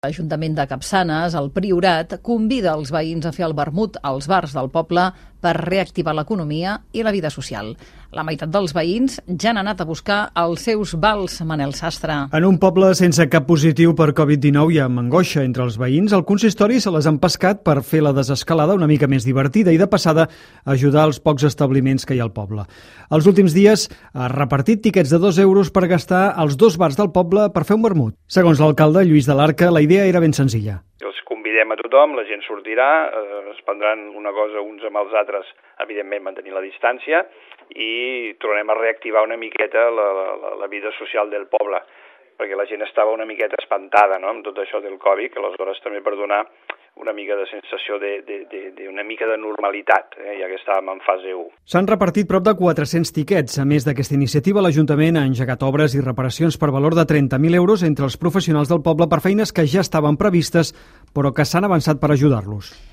L'Ajuntament de Capçanes, el Priorat, convida els veïns a fer el vermut als bars del poble per reactivar l'economia i la vida social. La meitat dels veïns ja han anat a buscar els seus vals, Manel Sastre. En un poble sense cap positiu per Covid-19 i amb angoixa entre els veïns, el consistori se les han pescat per fer la desescalada una mica més divertida i de passada ajudar els pocs establiments que hi ha al poble. Els últims dies ha repartit tiquets de 2 euros per gastar als 2 bars del poble per fer un vermut. Segons l'alcalde Lluís de l'Arca, la idea era ben senzilla. Els convidem a tothom, la gent sortirà, es prendran una cosa uns amb els altres, evidentment mantenir la distància, i tornem a reactivar una miqueta la vida social del poble, perquè la gent estava una miqueta espantada, no?, amb tot això del Covid, que aleshores també per donar una mica de sensació d'una mica de normalitat, ja que estàvem en fase 1. S'han repartit prop de 400 tiquets. A més d'aquesta iniciativa, l'Ajuntament ha engegat obres i reparacions per valor de 30.000 euros entre els professionals del poble per feines que ja estaven previstes, però que s'han avançat per ajudar-los.